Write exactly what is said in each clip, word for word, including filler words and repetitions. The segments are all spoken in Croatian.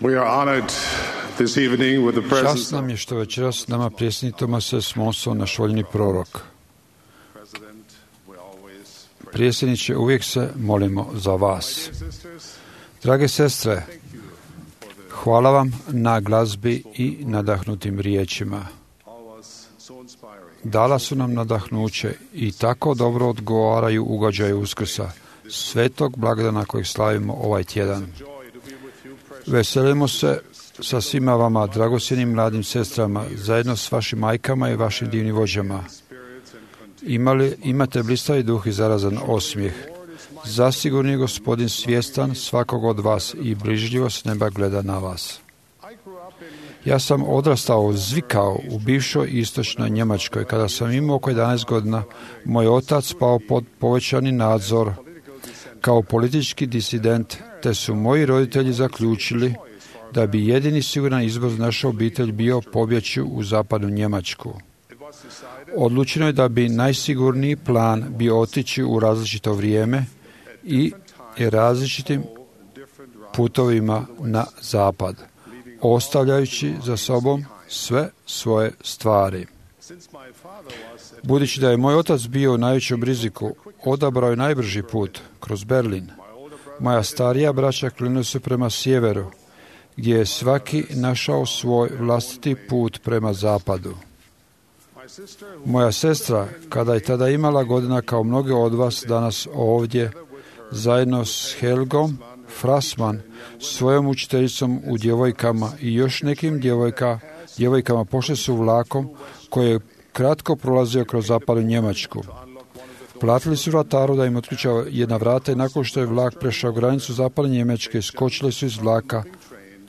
We are honored this evening with the Čast presence nam je što večeras s nama predsjednik Tomasa Smonso, naš voljeni prorok. President. We always pray. Predsjedniče, uvijek se molimo za vas. Drage sestre, hvala vam na glazbi i nadahnutim riječima. All was so inspiring. Dala su nam nadahnuće i tako dobro odgovaraju ugađaju Uskrsa, svetog blagdana kojeg slavimo ovaj tjedan. Joy to be with you, precious. Veselimo se sa svima vama, dragocjenim mladim sestrama, zajedno s vašim majkama i vašim divnim vođama. Spirits and continue. Imali, imate blistavi duh i zarazan osmijeh. Zasigurno je Gospodin svjestan svakog od vas i brižljivo s neba gleda na vas. I grew up in Ja sam odrastao, zvikao u bivšoj istočnoj Njemačkoj. Kada sam imao oko jedanaest godina, moj otac pao pod povećani nadzor kao politički disident, te su moji roditelji zaključili da bi jedini siguran izbor za našu obitelj bio pobjeći u zapadnu Njemačku. it was decided Odlučeno je da bi najsigurniji plan bio otići u različito vrijeme i različitim different routes. putovima na zapad, ostavljajući za sobom sve svoje stvari. Since my father was at Budući da je moj otac bio u najvećem riziku, odabrao je najbrži put kroz Berlin. Moja starija braća krenuli su prema sjeveru, gdje je svaki našao svoj vlastiti put prema zapadu. my sister Moja sestra, kada je tada imala godina kao mnoge od vas danas ovdje, zajedno s Helgom Frasman, svojom učiteljicom u djevojkama i još nekim djevojka, djevojkama pošle su vlakom koji je kratko prolazio kroz zapadnu Njemačku. Platili su vrataru da im otključa jedna vrata i nakon što je vlak prešao granicu zapadne Njemačke, skočili su iz vlaka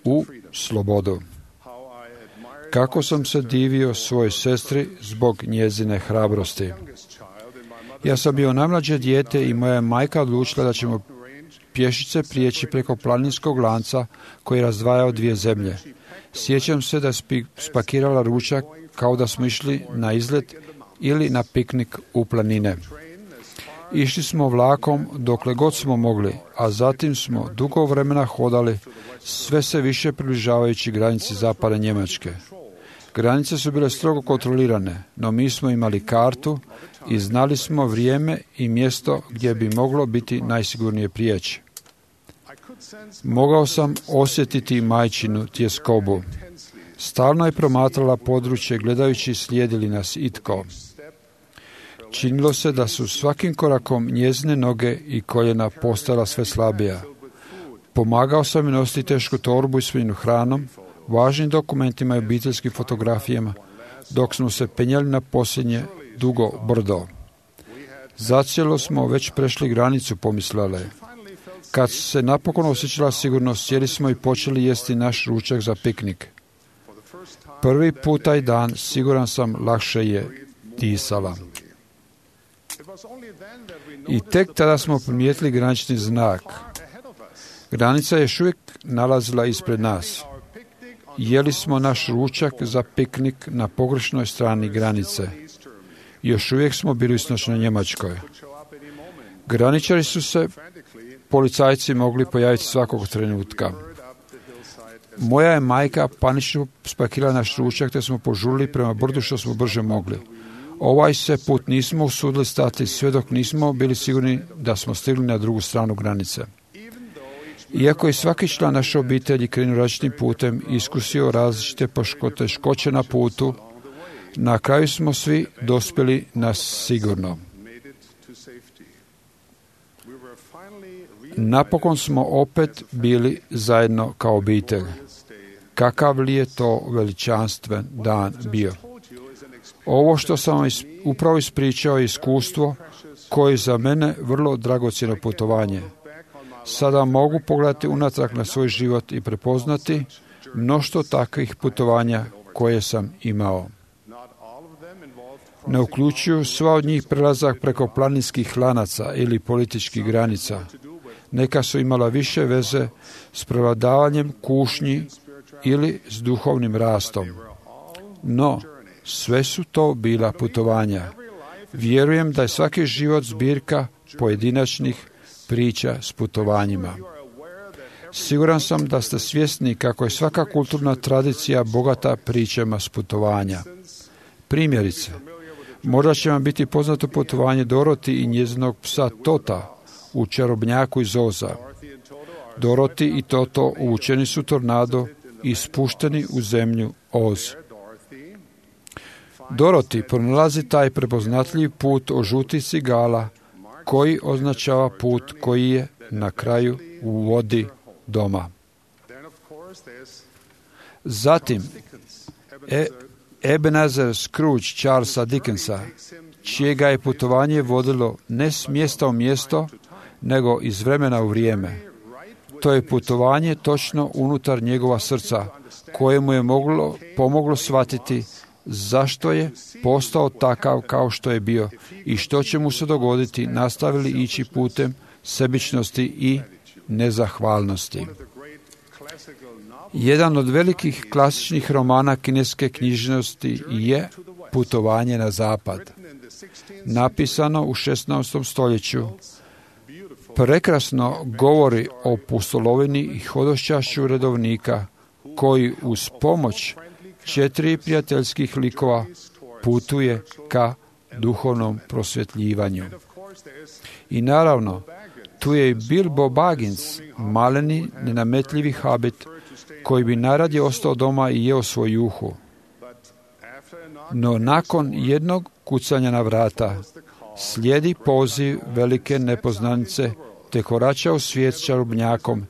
u slobodu. how I admired Kako sam se divio svojoj sestri zbog njezine hrabrosti. this child in my mother's Ja sam bio najmlađe dijete i moja je majka odlučila da ćemo pješice prijeći preko planinskog lanca koji je razdvajao dvije zemlje. Sjećam se da je spi- spakirala ručak kao da smo išli na izlet ili na piknik u planine. Išli smo vlakom dokle god smo mogli, a zatim smo dugo vremena hodali, sve se više približavajući granici zapadne Njemačke. Granice su bile strogo kontrolirane, no mi smo imali kartu i znali smo vrijeme i mjesto gdje bi moglo biti najsigurnije prijeći. I could sense Mogao sam osjetiti majčinu tjeskobu. Stalno je promatrala područje gledajući slijedi li nas itko. Činilo se da su svakim korakom njezine noge i koljena postala sve slabija. Pomagao sam joj nositi tešku torbu ispunjenu hranom, važnim dokumentima i obiteljskim fotografijama, dok smo se penjali na posljednje dugo brdo. Zacijelo smo već prešli granicu, pomislila je. Kad se napokon osjećala sigurno, sjeli smo i počeli jesti naš ručak za piknik. Prvi put taj dan, siguran sam, lakše je disala. it was only then that we I noticed tek tada smo primijetili granični znak. ahead of us. Granica je još uvijek nalazila ispred nas. Our picnic on Jeli smo naš ručak za piknik na pogrešnoj strani granice. East Germany. Još uvijek smo bili u istočnoj Njemačkoj. Show up any moment. Graničari su se, Frantically policajci mogli pojaviti svakog trenutka. hurried up the hillside as Moja je majka panično spakirala naš ručak, te smo požurili prema brdu što smo brže mogli. Ovaj se put nismo usudili stati sve dok nismo bili sigurni da smo stigli na drugu stranu granice. Iako je svaki član naše obitelji krenuo različitim putem i iskusio različite poteškoće na putu, na kraju smo svi dospjeli na sigurno. made it to safety. We were finally Napokon smo opet bili zajedno kao obitelj. Kakav li je to veličanstven dan bio? told you is an experience Ovo što sam vam is- upravo ispričao je iskustvo koje je za mene vrlo dragocjeno putovanje. back on my Sada mogu pogledati unatrag na svoj život i prepoznati mnoštvo takvih putovanja koje sam imao. not all of them involved Ne uključuju sva od njih prelazak preko planinskih lanaca ili političkih granica. Neka su imala više veze s prevladavanjem kušnji ili s duhovnim rastom. No, sve su to bila putovanja. Vjerujem da je svaki život zbirka pojedinačnih priča s putovanjima. Siguran sam da ste svjesni kako je svaka kulturna tradicija bogata pričama s putovanja. Primjerice, možda će vam biti poznato putovanje Doroti i njezinog psa Tota u Čarobnjaku iz Oza. Doroti i Toto uvučeni su tornado i spušteni u zemlju Oz. Doroti pronalazi taj prepoznatljiv put o žutih cigala koji označava put koji je na kraju u vodi doma. Zatim, e, Ebenezer Scrooge Charlesa Dickensa, čije ga je putovanje vodilo ne s mjesta u mjesto, nego iz vremena u vrijeme. To je putovanje točno unutar njegova srca, koje mu je moglo, pomoglo shvatiti zašto je postao takav kao što je bio i što će mu se dogoditi nastavili ići putem sebičnosti i nezahvalnosti. Jedan od velikih klasičnih romana kineske književnosti je Putovanje na zapad. Napisano u šesnaestom stoljeću, prekrasno govori o pustolovini i hodošćašću redovnika koji uz pomoć četiri prijateljskih likova putuje ka duhovnom prosvjetljivanju. I naravno, tu je i Bilbo Baggins, maleni, nenametljivi habit, koji bi najradije ostao doma i jeo svoj juhu. No nakon jednog kucanja na vrata, slijedi poziv velike nepoznanice, te korača u svijet s čarobnjakom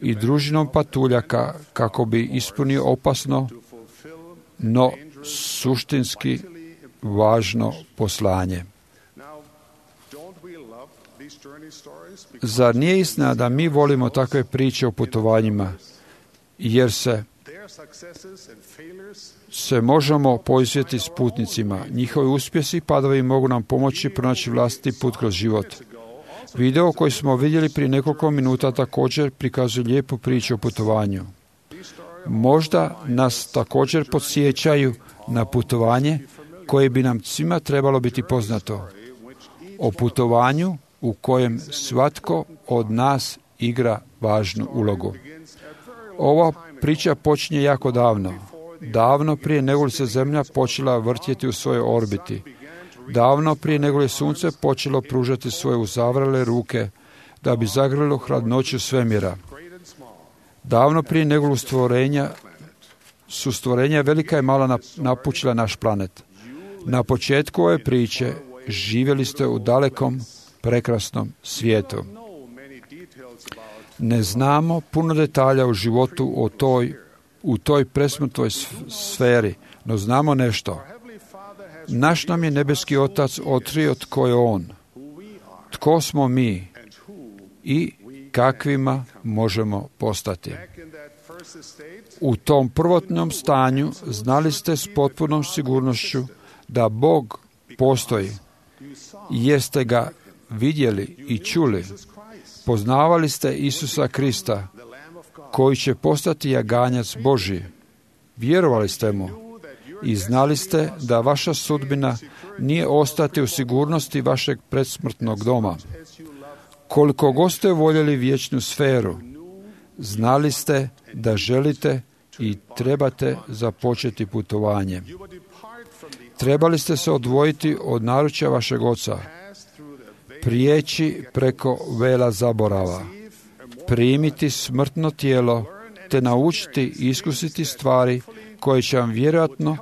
i družinom patuljaka kako bi ispunio opasno, no suštinski važno poslanje. Zar nije istina da mi volimo takve priče o putovanjima, jer se se možemo poisvjetiti s putnicima. Njihovi uspjesi i padovi mogu nam pomoći pronaći vlastiti put kroz život. Video koji smo vidjeli prije nekoliko minuta također prikazuje lijepu priču o putovanju. Možda nas također podsjećaju na putovanje koje bi nam svima trebalo biti poznato. O putovanju u kojem svatko od nas igra važnu ulogu. Ova priča počinje jako davno. Davno prije nego li se Zemlja počela vrtjeti u svojoj orbiti. Davno prije nego li je Sunce počelo pružati svoje uzavrele ruke da bi zagrlilo hladnoću svemira. Davno prije nego li stvorenja su stvorenja velika i mala napučila naš planet. Na početku ove priče živjeli ste u dalekom, prekrasnom svijetu. Ne znamo puno detalja u životu o toj, u toj presmrtnoj sferi, no znamo nešto. Naš nam je nebeski Otac otkrio tko je On, tko smo mi i kakvima možemo postati. U tom prvotnom stanju znali ste s potpunom sigurnošću da Bog postoji, jer ste ga vidjeli i čuli. Poznavali ste Isusa Krista, koji će postati jaganjac Božji. Vjerovali ste mu i znali ste da vaša sudbina nije ostati u sigurnosti vašeg predsmrtnog doma. Koliko god ste voljeli vječnu sferu, znali ste da želite i trebate započeti putovanje. Trebali ste se odvojiti od naručja vašeg oca, prijeći preko vela zaborava, primiti smrtno tijelo, te naučiti i iskusiti stvari koje će vam vjerojatno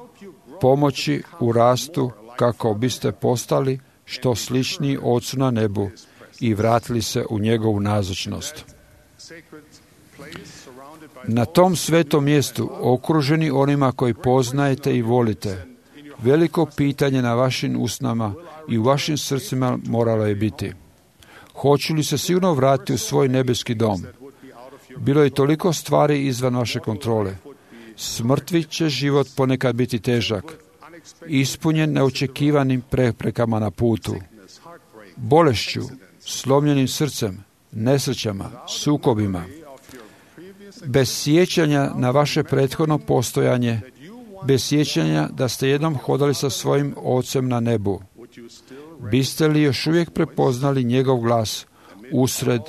pomoći u rastu kako biste postali što sličniji Ocu na nebu i vratili se u njegovu nazočnost. Na tom svetom mjestu, okruženi onima koji poznajete i volite, veliko pitanje na vašim usnama i u vašim srcima moralo je biti: hoću li se sigurno vratiti u svoj nebeski dom? Bilo je toliko stvari izvan vaše kontrole. Smrtvi će život ponekad biti težak, ispunjen neočekivanim preprekama na putu, bolešću, slomljenim srcem, nesrećama, sukobima. Bez sjećanja na vaše prethodno postojanje, bez sjećanja da ste jednom hodali sa svojim Ocem na nebu, biste li još uvijek prepoznali njegov glas usred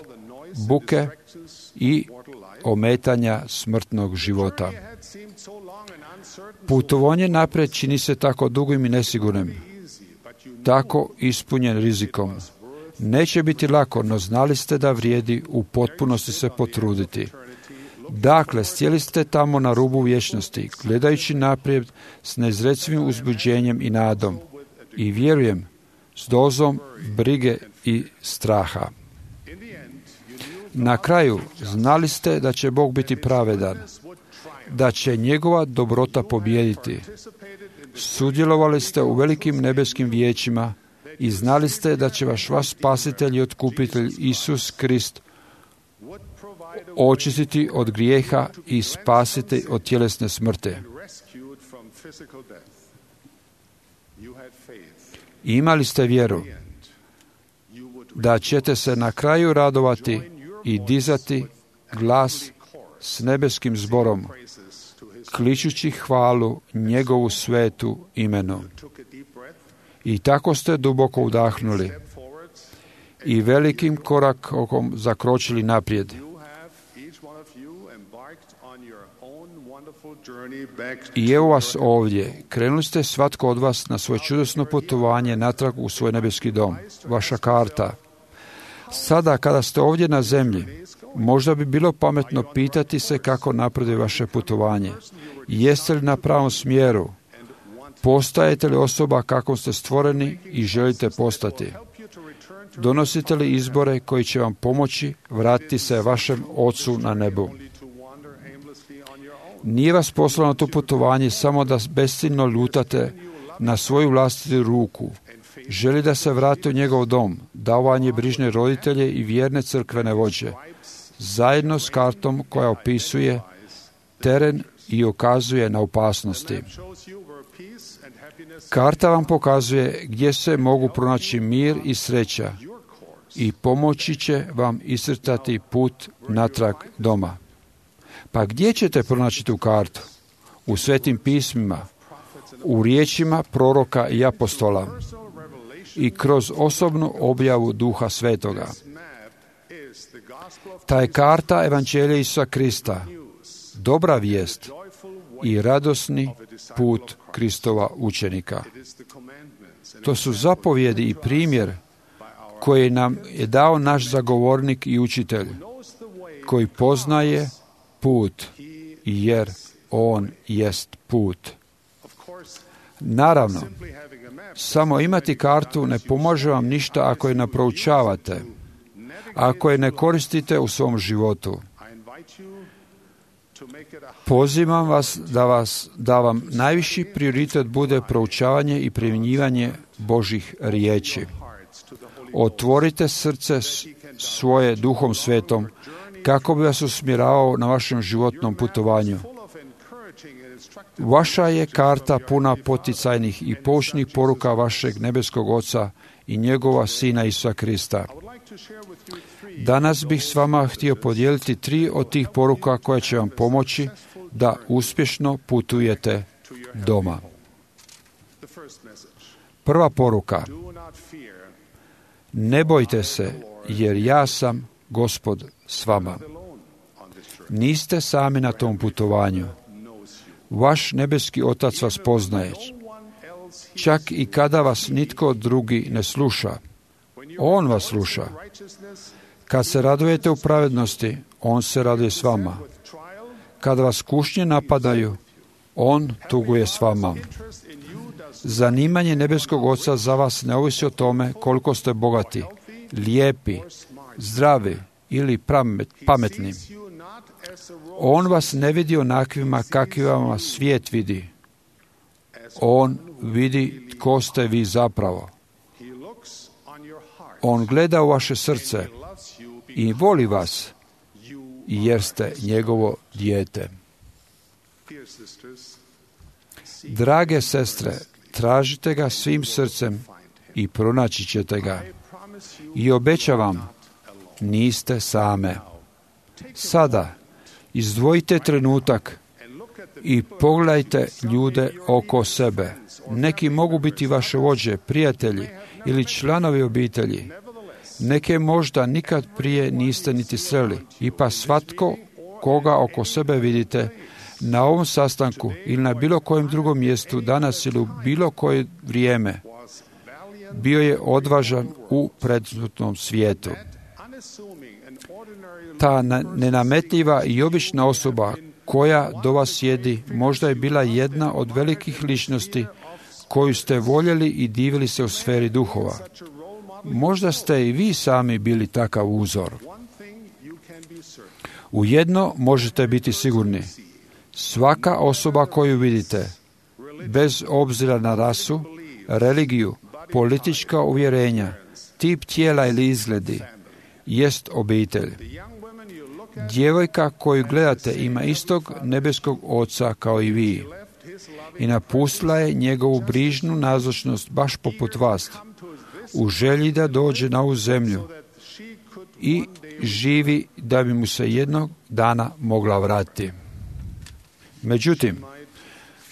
buke i ometanja smrtnog života. Putovanje naprijed čini se tako dugim i nesigurnim, tako ispunjen rizikom. Neće biti lako, no znali ste da vrijedi u potpunosti se potruditi. Dakle, sjeli ste tamo na rubu vječnosti, gledajući naprijed s neizrecivim uzbuđenjem i nadom. I vjerujem, s dozom brige i straha. Na kraju, znali ste da će Bog biti pravedan, da će njegova dobrota pobijediti. Sudjelovali ste u velikim nebeskim vijećima i znali ste da će vaš vaš spasitelj i otkupitelj Isus Krist očistiti od grijeha i spasiti od tjelesne smrti. Imali ste vjeru da ćete se na kraju radovati i dizati glas s nebeskim zborom, kličući hvalu njegovu svetu imenu. I tako ste duboko udahnuli i velikim korakom zakročili naprijed. I evo vas ovdje. Krenuli ste svatko od vas na svoje čudesno putovanje natrag u svoj nebeski dom. Vaša karta. Sada, kada ste ovdje na zemlji, možda bi bilo pametno pitati se kako napreduje vaše putovanje. Jeste li na pravom smjeru? Postajete li osoba kakvom ste stvoreni i želite postati? Donosite li izbore koji će vam pomoći vratiti se vašem Ocu na nebu? Nije vas poslao na to putovanje samo da besciljno lutate na svoju vlastitu ruku. Želi da se vrati u njegov dom, davanje brižne roditelje i vjerne crkvene vođe, zajedno s kartom koja opisuje teren i ukazuje na opasnosti. Karta vam pokazuje gdje se mogu pronaći mir i sreća i pomoći će vam iscrtati put natrag doma. Pa gdje ćete pronaći tu kartu? U svetim pismima, u riječima proroka i apostola i kroz osobnu objavu Duha Svetoga. Ta je karta Evanđelja Isusa Krista, dobra vijest i radosni put Kristova učenika. To su zapovjedi i primjer koji nam je dao naš zagovornik i učitelj, koji poznaje put, jer on jest put. Naravno, samo imati kartu ne pomaže vam ništa ako je ne proučavate, ako je ne koristite u svom životu. Pozivam vas da, vas da vam najviši prioritet bude proučavanje i primjenjivanje Božjih riječi. Otvorite srce svoje Duhom Svetom kako bi vas usmjeravao na vašem životnom putovanju. Vaša je karta puna poticajnih i poučnih poruka vašeg nebeskog Oca i njegova Sina Isusa Krista. Danas bih s vama htio podijeliti tri od tih poruka koje će vam pomoći da uspješno putujete doma. Prva poruka. Ne bojte se, jer ja sam Gospod s vama. Niste sami na tom putovanju. Vaš nebeski Otac vas poznaje. Čak i kada vas nitko drugi ne sluša, On vas sluša. Kad se radujete u pravednosti, On se raduje s vama. Kada vas kušnje napadaju, On tuguje s vama. Zanimanje nebeskog Oca za vas ne ovisi o tome koliko ste bogati, lijepi, zdravi ili pametni. On vas ne vidi onakvima kakvima vas svijet vidi. On vidi tko ste vi zapravo. On gleda u vaše srce i voli vas, jer ste njegovo dijete. Drage sestre, tražite ga svim srcem i pronaći ćete ga. I obećavam, niste same. Sada, izdvojite trenutak i pogledajte ljude oko sebe. Neki mogu biti vaše vođe, prijatelji ili članovi obitelji. Neke možda nikad prije niste niti sreli. I pa svatko koga oko sebe vidite na ovom sastanku ili na bilo kojem drugom mjestu danas ili u bilo koje vrijeme, bio je odvažan u predsmrtnom svijetu. Ta nenametljiva i obična osoba koja do vas sjedi možda je bila jedna od velikih ličnosti koju ste voljeli i divili se u sferi duhova. Možda ste i vi sami bili takav uzor. U jedno možete biti sigurni. Svaka osoba koju vidite, bez obzira na rasu, religiju, politička uvjerenja, tip tijela ili izgledi, jest obitelj. Djevojka koju gledate ima istog nebeskog oca kao i vi i napustila je njegovu brižnu nazočnost baš poput vas, u želji da dođe na ovu zemlju i živi da bi mu se jednog dana mogla vratiti. Međutim,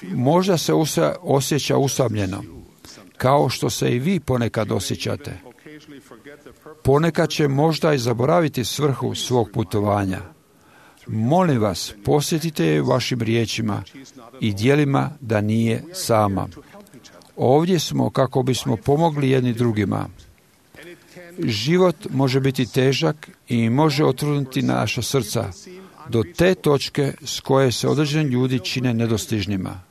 možda se osjeća usamljeno, kao što se i vi ponekad osjećate. Ponekad će možda i zaboraviti svrhu svog putovanja. Molim vas, posjetite je vašim riječima i djelima da nije sama. Ovdje smo kako bismo pomogli jedni drugima. Život može biti težak i može otruditi naša srca do te točke s koje se određeni ljudi čine nedostižnima.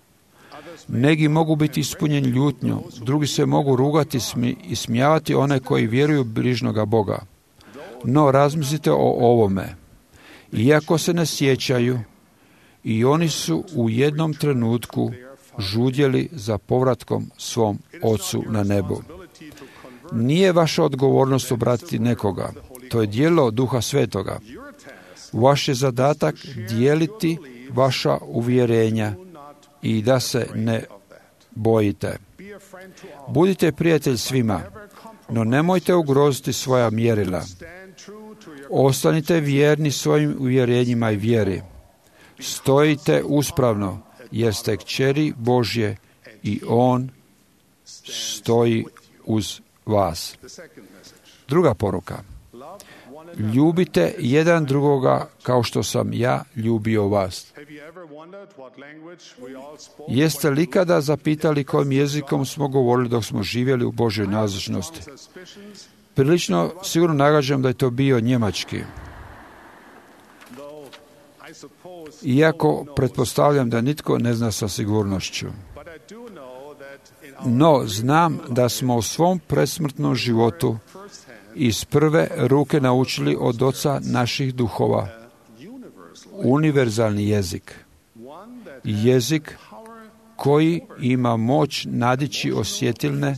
Neki mogu biti ispunjeni ljutnjom, drugi se mogu rugati i smijavati one koji vjeruju brižnoga Boga. No, razmislite o ovome. Iako se ne sjećaju, i oni su u jednom trenutku žudjeli za povratkom svom Ocu na nebu. Nije vaša odgovornost obratiti nekoga. To je djelo Duha Svetoga. Vaš je zadatak dijeliti vaša uvjerenja i da se ne bojite. Budite prijatelj svima, no nemojte ugroziti svoja mjerila. Ostanite vjerni svojim uvjerenjima i vjeri. Stojite uspravno, jer ste kćeri Božje i On stoji uz vas. Druga poruka. Ljubite jedan drugoga kao što sam ja ljubio vas. Jeste li kada zapitali kojim jezikom smo govorili dok smo živjeli u Božjoj nazočnosti? Prilično sigurno nagađam da je to bio njemački. Iako pretpostavljam da nitko ne zna sa sigurnošću. No, znam da smo u svom presmrtnom životu iz prve ruke naučili od Oca naših duhova univerzalni jezik. Jezik koji ima moć nadići osjetilne,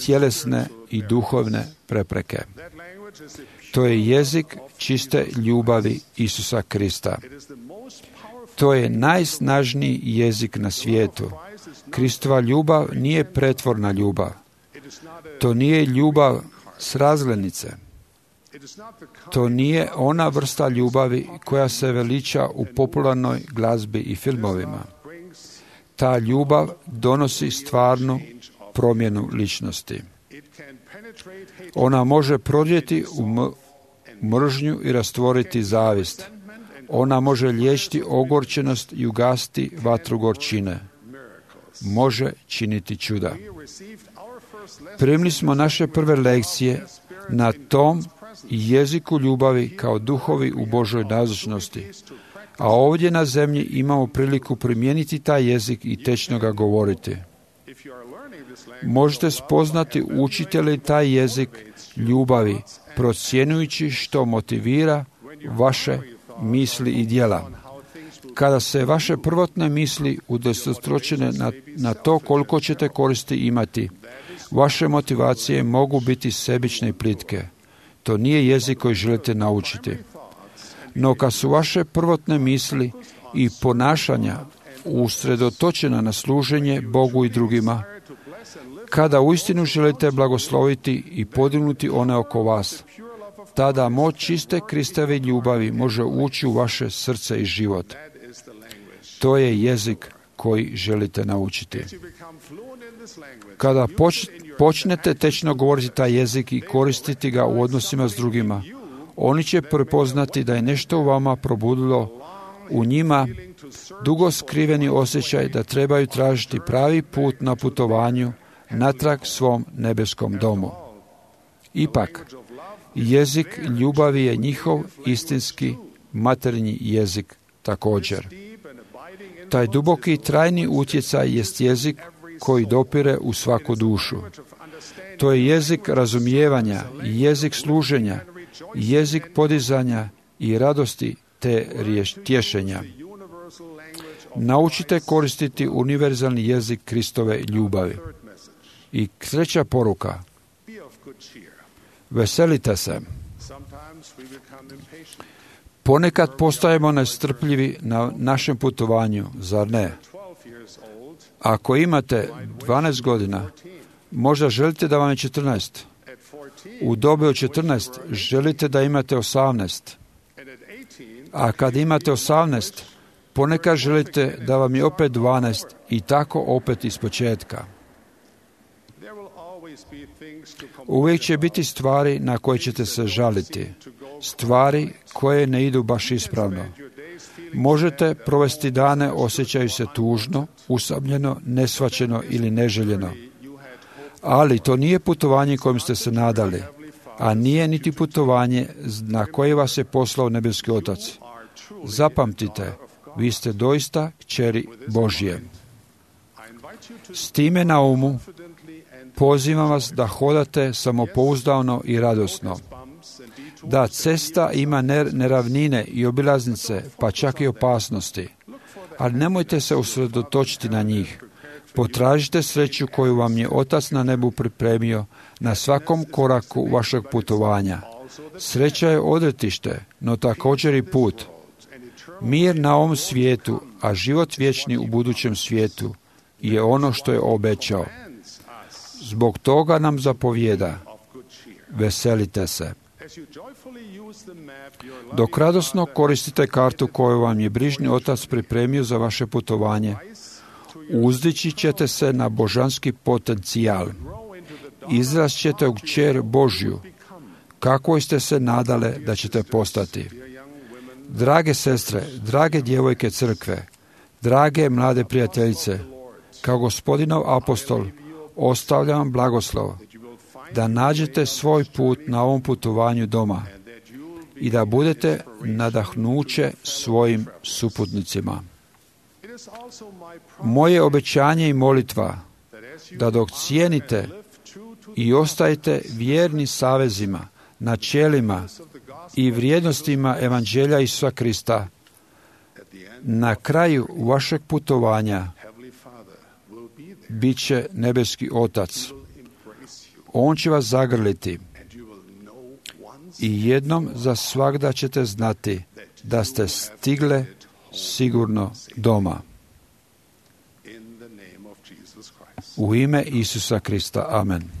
tjelesne i duhovne prepreke. To je jezik čiste ljubavi Isusa Krista. To je najsnažniji jezik na svijetu. Kristova ljubav nije pretvorna ljubav. To nije ljubav s razglednice. To nije ona vrsta ljubavi koja se veliča u popularnoj glazbi i filmovima. Ta ljubav donosi stvarnu promjenu ličnosti. Ona može prodjeti u mržnju i rastvoriti zavist. Ona može liječiti ogorčenost i ugasiti vatru gorčine. Može činiti čuda. Primili smo naše prve lekcije na tom jeziku ljubavi kao duhovi u Božoj nazočnosti, a ovdje na zemlji imamo priliku primijeniti taj jezik i tečno ga govoriti. Možete spoznati učite li taj jezik ljubavi, procjenujući što motivira vaše misli i djela. Kada se vaše prvotne misli udesetostručene na, na to koliko ćete koristi imati, vaše motivacije mogu biti sebične i plitke. To nije jezik koji želite naučiti. No kad su vaše prvotne misli i ponašanja usredotočena na služenje Bogu i drugima, kada uistinu želite blagosloviti i podignuti one oko vas, tada moć čiste Kristove ljubavi može ući u vaše srce i život. To je jezik koji želite naučiti. Kada počnete tečno govoriti taj jezik i koristiti ga u odnosima s drugima, Oni će prepoznati da je nešto u vama probudilo u njima dugo skriveni osjećaj da trebaju tražiti pravi put na putovanju natrag svom nebeskom domu. Ipak, jezik ljubavi je njihov istinski materinji jezik također. Taj duboki i trajni utjecaj jest jezik koji dopire u svaku dušu. To je jezik razumijevanja, jezik služenja, jezik podizanja i radosti te tješenja. Naučite koristiti univerzalni jezik Kristove ljubavi. I treća poruka. Veselite se. Ponekad postajemo nestrpljivi na našem putovanju, zar ne? Ako imate dvanaest godina, možda želite da vam je četrnaest. U dobi od četrnaest želite da imate osamnaest. A kad imate osamnaest, ponekad želite da vam je opet dvanaest i tako opet iz početka. Uvijek će biti stvari na koje ćete se žaliti, stvari koje ne idu baš ispravno. Možete provesti dane osjećaju se tužno, usamljeno, nesvaćeno ili neželjeno. Ali to nije putovanje kojim ste se nadali, a nije niti putovanje na koje vas je poslao nebeski Otac. Zapamtite, vi ste doista kćeri Božje. S time na umu, pozivam vas da hodate samopouzdano i radosno. Da, cesta ima neravnine i obilaznice, pa čak i opasnosti. Ali nemojte se usredotočiti na njih. Potražite sreću koju vam je Otac na nebu pripremio na svakom koraku vašeg putovanja. Sreća je odretište, no također i put. Mir na ovom svijetu, a život vječni u budućem svijetu je ono što je obećao. Zbog toga nam zapovijeda, veselite se. Dok radosno koristite kartu koju vam je brižni Otac pripremio za vaše putovanje, uzdići ćete se na božanski potencijal. Izrast ćete u kćer Božju, kako ste se nadale da ćete postati. Drage sestre, drage djevojke crkve, drage mlade prijateljice, kao Gospodinov apostol, ostavljam vam blagoslov da nađete svoj put na ovom putovanju doma i da budete nadahnuće svojim suputnicima. Moje obećanje i molitva da dok cijenite i ostajete vjerni savezima, načelima i vrijednostima Evanđelja Isusa Krista, na kraju vašeg putovanja bit će nebeski Otac. On će vas zagrliti i jednom za svagda ćete znati da ste stigle sigurno doma. U ime Isusa Krista. Amen.